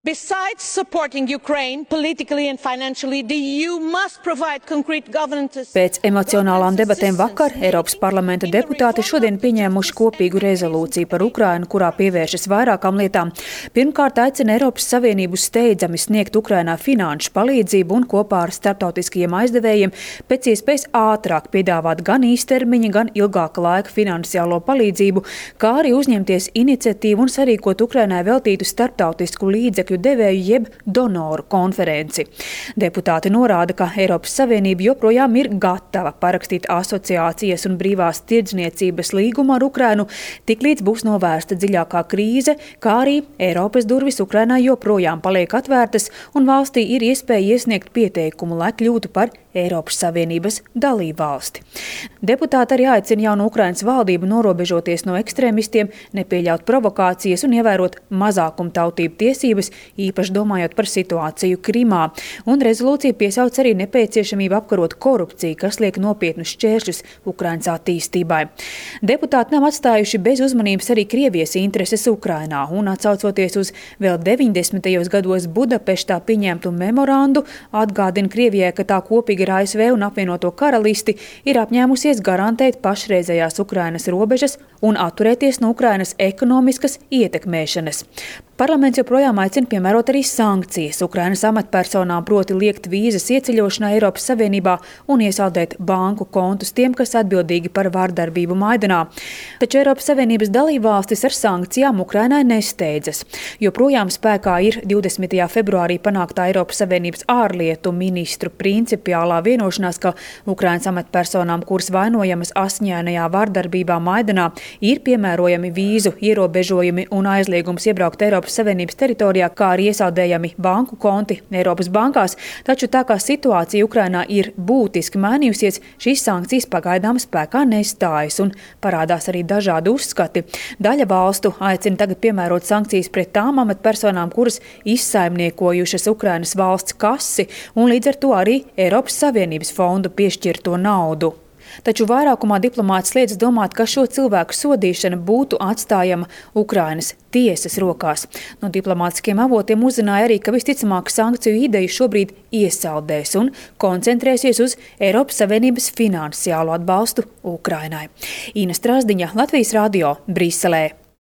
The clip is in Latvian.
Besides supporting Ukraine politically and financially, the EU must provide concrete governance. Pēc emocionālām debatēm vakar Eiropas parlamenta deputāti šodien pieņēmuši kopīgu rezolūciju par Ukrainu, kurā pievēršas vairākām lietām. Pirmkārt, aicina Eiropas Savienību steidzami sniegt Ukrainā finanšu palīdzību un kopā ar starptautiskajiem aizdevējiem pēc iespējas ātrāk piedāvāt gan īstermiņa, gan ilgāka laika finansiālo palīdzību, kā arī uzņemties iniciatīvu un sarīkot Ukrainai veltītu starptautisku līdzekļu devēju jeb donoru konferenci. Deputāti norāda, ka Eiropas Savienība joprojām ir gatava parakstīt asociācijas un brīvās tirdzniecības līgumu ar Ukrainu, tiklīdz būs novērsta dziļākā krīze, kā arī Eiropas durvis Ukrainai joprojām paliek atvērtas un valstī ir iespēja iesniegt pieteikumu, lai kļūtu par Eiropas Savienības dalībvalsti. Deputāti arī aicina jaunu Ukrainas valdību norobežoties no ekstrēmistiem, nepieļaut provokācijas un ievērot mazākumtautību tiesības, īpaši domājot par situāciju Krimā. Un rezolūcija piesauc arī nepieciešamību apkarot korupciju, kas liek nopietnus šķēršļus Ukrainas attīstībai. Deputāti nav atstājuši bez uzmanības arī Krievijas intereses Ukrainā un atsaucoties uz vēl 90. gados Budapeštā pieņemtu memorandu, atgādina Krievijai, ka tā kopīgi ar ASV un apvienoto karalisti ir apņēmusies garantēt pašreizējās Ukrainas robežas un atturēties no Ukrainas ekonomiskas ietekmēšanas. Parlaments joprojām aicina piemērot arī sankcijas Ukrainas amatpersonām, proti liekt vīzas ieceļošanai Eiropas Savienībā un iesaldēt banku kontus tiem, kas atbildīgi par vardarbību Maidanā. Taču Eiropas Savienības dalībvalstis ar sankcijām Ukrainai nesteidzas. Joprojām spēkā ir 20. februārī panāktā Eiropas Savienības ārlietu ministru principiālā vienošanās, ka Ukrainas amatpersonām, kuras vainojamas asiņainajā vardarbībā Maidanā, ir piemērojami vīzu ierobežojumi un aizliegums iebraukt Eiropas Savienības teritorijā, kā arī iesaldējami banku konti Eiropas bankās, taču tā kā situācija Ukrainā ir būtiski mainījusies, šīs sankcijas pagaidām spēkā nestājas un parādās arī dažādi uzskati. Daļa valstu aicina tagad piemērot sankcijas pret tām amatpersonām, kuras izsaimniekojušas Ukrainas valsts kasi un līdz ar to arī Eiropas Savienības fondu piešķirto naudu. Taču vairākumā diplomāti sliedz domāt, ka šo cilvēku sodīšana būtu atstājama Ukrainas tiesas rokās. No diplomātiskiem avotiem uzzināja arī, ka visticamāk sankciju ideju šobrīd iesaldēs un koncentrēsies uz Eiropas Savienības finansiālo atbalstu Ukrainai. Ina Strasdiņa, Latvijas radio, Briselē.